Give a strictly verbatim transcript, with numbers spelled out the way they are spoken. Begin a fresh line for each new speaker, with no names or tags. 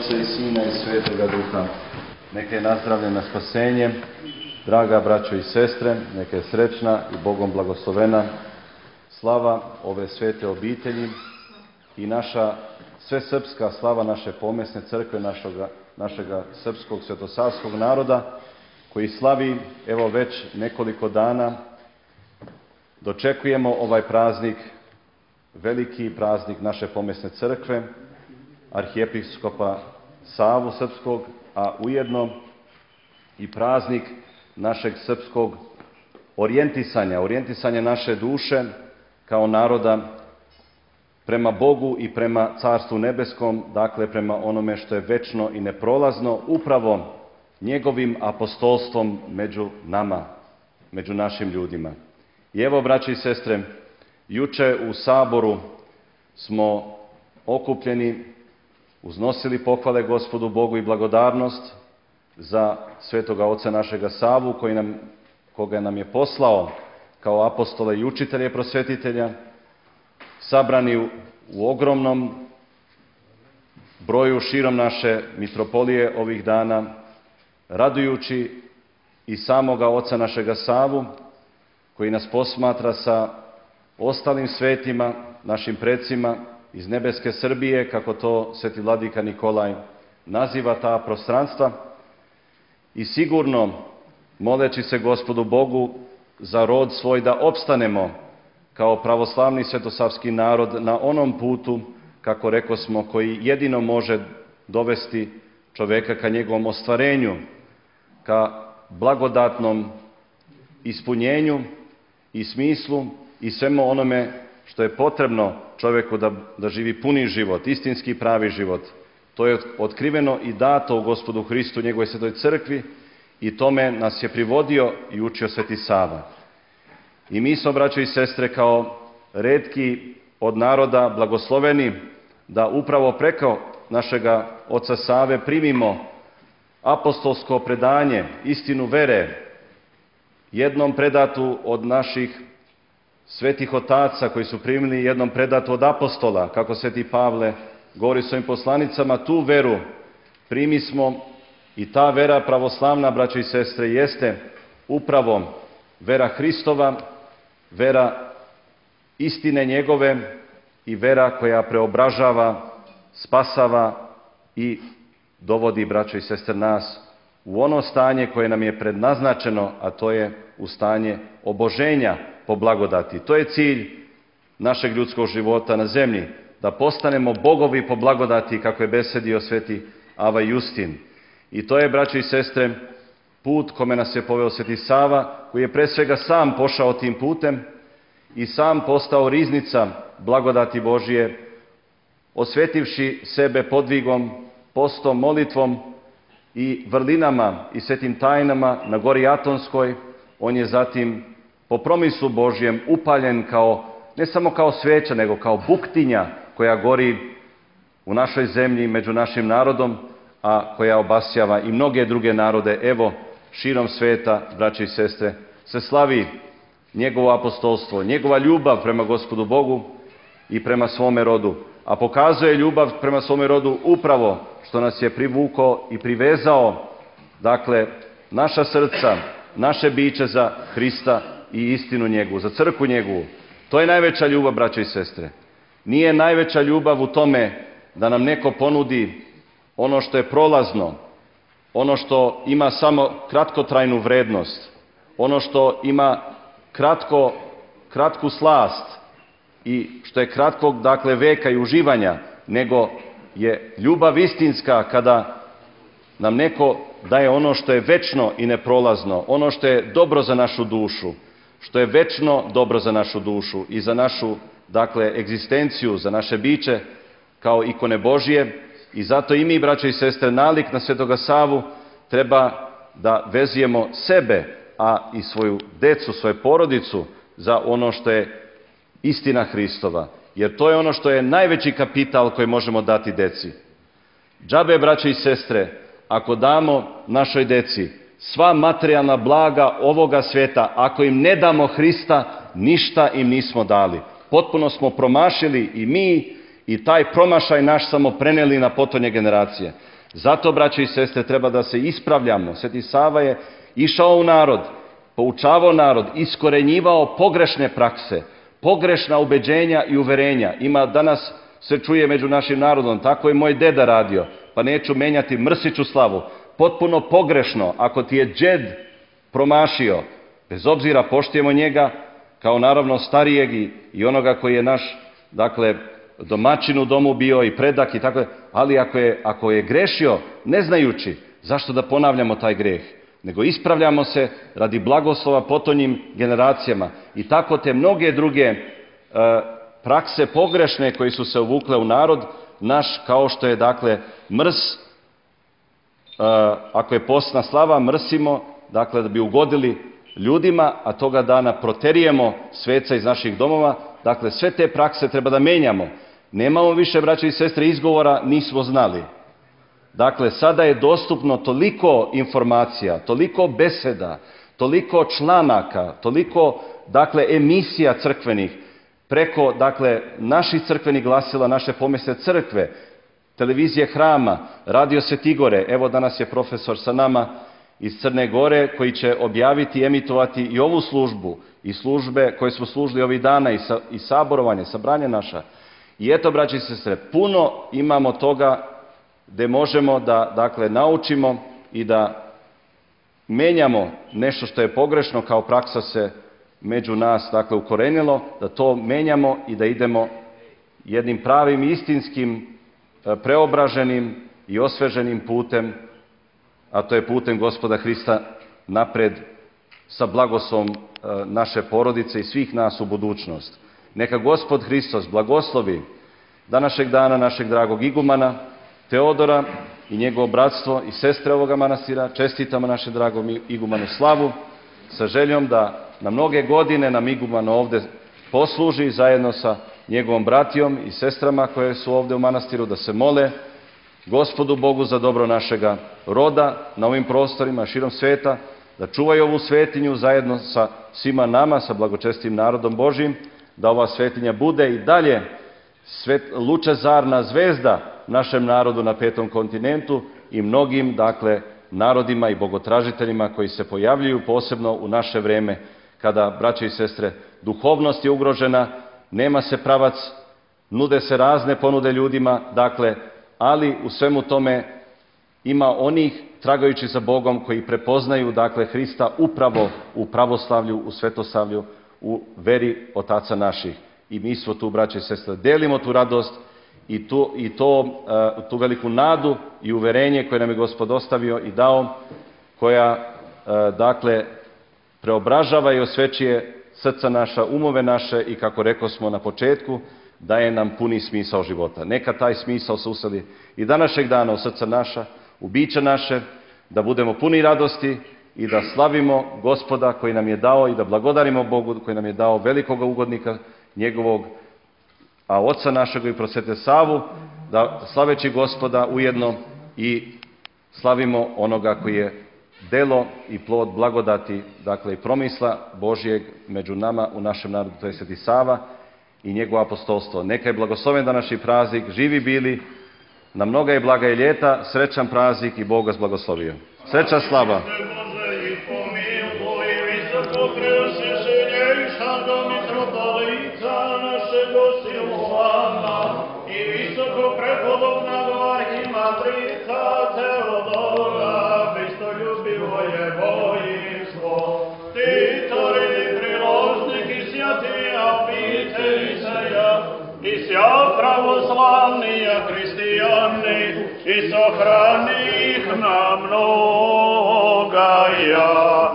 Oca i Sina i Svetoga Duha. Neka je nazdravljena spasenje, draga braćo i sestre, neka je srećna i Bogom blagoslovena slava ove svete obitelji i naša svesrpska slava naše pomesne crkve, našega, našega srpskog svetosavskog naroda, koji slavi, evo već nekoliko dana, dočekujemo ovaj praznik, veliki praznik naše pomesne crkve, arhijepiskopa Savu srpskog, a ujedno i praznik našeg srpskog orijentisanja, orijentisanja naše duše kao naroda prema Bogu i prema Carstvu nebeskom, dakle prema onome što je večno i neprolazno, upravo njegovim apostolstvom među nama, među našim ljudima. I evo, braći i sestre, juče u Saboru smo okupljeni, uznosili pohvale Gospodu Bogu i blagodarnost za svetoga oca našega Savu, koji nam, koga nam je poslao kao apostola i učitelja i prosvetitelja, sabrani u, u ogromnom broju širom naše mitropolije ovih dana, radujući i samoga oca našega Savu, koji nas posmatra sa ostalim svetima, našim precima iz nebeske Srbije, kako to sveti vladika Nikolaj naziva ta prostranstva, i sigurno, moleći se Gospodu Bogu za rod svoj, da opstanemo kao pravoslavni svetosavski narod na onom putu, kako rekosmo, koji jedino može dovesti čoveka ka njegovom ostvarenju, ka blagodatnom ispunjenju i smislu i svemu onome što je potrebno čoveku da, da živi puni život, istinski pravi život. To je otkriveno i dato u Gospodu Hristu, njegovoj svetoj crkvi, i tome nas je privodio i učio sveti Sava. I mi smo, braćo i sestre, kao retki od naroda blagosloveni da upravo preko našega oca Save primimo apostolsko predanje, istinu vere, jednom predatu od naših svetih otaca koji su primili, jednom predatu od apostola, kako sveti Pavle govori svojim poslanicama, tu veru primi smo, i ta vera pravoslavna, braćo i sestre, jeste upravo vera Hristova, vera istine njegove i vera koja preobražava, spasava i dovodi, braćo i sestre, nas u ono stanje koje nam je prednaznačeno, a to je u stanje oboženja po blagodati. To je cilj našeg ljudskog života na zemlji, da postanemo bogovi po blagodati, kako je besedio sveti Ava Justin. I to je, braćo i sestre, put kome nas je poveo sveti Sava, koji je pre svega sam pošao tim putem i sam postao riznica blagodati Božije, osvetivši sebe podvigom, postom, molitvom i vrlinama i svetim tajnama na gori Atonskoj. On je zatim po promislu Božjem upaljen kao, ne samo kao sveća, nego kao buktinja koja gori u našoj zemlji među našim narodom, a koja obasjava i mnoge druge narode. Evo, širom sveta, braće i sestre, se slavi njegovo apostolstvo, njegova ljubav prema Gospodu Bogu i prema svome rodu, a pokazuje ljubav prema svome rodu upravo što nas je privukao i privezao, dakle, naša srca, naše biće za Hrista i istinu njegovu, za crkvu njegovu. To je najveća ljubav, braćo i sestre. Nije najveća ljubav u tome da nam neko ponudi ono što je prolazno, ono što ima samo kratkotrajnu vrednost, ono što ima kratko, kratku slast i što je kratkog, dakle, veka i uživanja, nego je ljubav istinska kada nam neko daje ono što je večno i neprolazno, ono što je dobro za našu dušu, što je večno dobro za našu dušu i za našu, dakle, egzistenciju, za naše biće kao ikone Božije. I zato i mi, braćo i sestre, nalik na svetoga Savu treba da vezujemo sebe, a i svoju decu, svoju porodicu za ono što je istina Hristova. Jer to je ono što je najveći kapital koji možemo dati deci. Džabe, braćo i sestre, ako damo našoj deci sva materijalna blaga ovoga sveta, ako im ne damo Hrista, ništa im nismo dali. Potpuno smo promašili i mi, i taj promašaj naš samo preneli na potonje generacije. Zato, braće i sestre, treba da se ispravljamo. Sveti Sava je išao u narod, poučavao narod, iskorenjivao pogrešne prakse, pogrešna ubeđenja i uverenja. Ima danas se čuje među našim narodom, tako je moj deda radio, pa neću menjati, mrsiću slavu. Potpuno pogrešno, ako ti je džed promašio, bez obzira poštujemo njega, kao naravno starijeg i, i onoga koji je naš, dakle, domaćin u domu bio i predak i tako, ali ako je, ako je grešio, ne znajući, zašto da ponavljamo taj greh? Nego ispravljamo se radi blagoslova potonjim generacijama. I tako te mnoge druge e, prakse pogrešne koji su se uvukle u narod naš, kao što je, dakle, mrs, e, ako je postna slava, mrsimo, dakle, da bi ugodili ljudima, a toga dana proterijemo sveca iz naših domova. Dakle, sve te prakse treba da menjamo. Nemamo više, braće i sestre, izgovora, nismo znali. Dakle, sada je dostupno toliko informacija, toliko beseda, toliko članaka, toliko, dakle, emisija crkvenih, preko, dakle, naših crkvenih glasila, naše pomesne crkve, televizije Hrama, Radio Svetigore. Evo, danas je profesor sa nama iz Crne Gore, koji će objaviti i emitovati i ovu službu, i službe koje smo služili ovih dana, i, sa, i saborovanje, sabranje naša. I eto, braći i sestre, puno imamo toga gde možemo da, dakle, naučimo i da menjamo nešto što je pogrešno, kao praksa se među nas, dakle, ukorenilo, da to menjamo i da idemo jednim pravim, istinskim, preobraženim i osveženim putem, a to je putem Gospoda Hrista napred sa blagoslovom naše porodice i svih nas u budućnost. Neka Gospod Hristos blagoslovi današnjeg dana našeg dragog igumana Teodora i njegovo bratstvo i sestre ovoga manastira. Čestitamo našem dragom igumanu slavu sa željom da na mnoge godine nam iguman ovde posluži zajedno sa njegovom bratijom i sestrama koje su ovde u manastiru, da se mole Gospodu Bogu za dobro našega roda na ovim prostorima širom sveta, da čuvaju ovu svetinju zajedno sa svima nama, sa blagočestim narodom Božijim, da ova svetinja bude i dalje svet, lučezarna zvezda našem narodu na petom kontinentu i mnogim, dakle, narodima i bogotražiteljima koji se pojavljuju posebno u naše vreme, kada, braće i sestre, duhovnost je ugrožena, nema se pravac, nude se razne ponude ljudima, dakle, ali u svemu tome ima onih, tragajući za Bogom, koji prepoznaju, dakle, Hrista upravo u pravoslavlju, u svetoslavlju, u veri otaca naših. I mi smo tu, braće i sestre, delimo tu radost i, tu, i to, uh, tu veliku nadu i uverenje koje nam je Gospod ostavio i dao, koja, uh, dakle, preobražava i osvećuje srca naša, umove naše i, kako rekao smo na početku, daje nam puni smisao života. Neka taj smisao se useli i današnjeg dana u srca naša, u biće naše, da budemo puni radosti i da slavimo Gospoda koji nam je dao i da blagodarimo Bogu koji nam je dao velikog ugodnika njegovog, a oca našeg i prosvete Savu, da slaveći Gospoda ujedno i slavimo onoga koji je delo i plod blagodati, dakle i promisla Božijeg među nama u našem narodu, to je Sveti Sava i njegovo apostolstvo. Neka je blagosloven današnji praznik, živi bili, na mnoga je blaga i ljeta, srećan praznik i Bog vas blagoslovio. Sreća, slava!
I sja pravoslavnija hристияни, i sahrani ih na mnoga ja.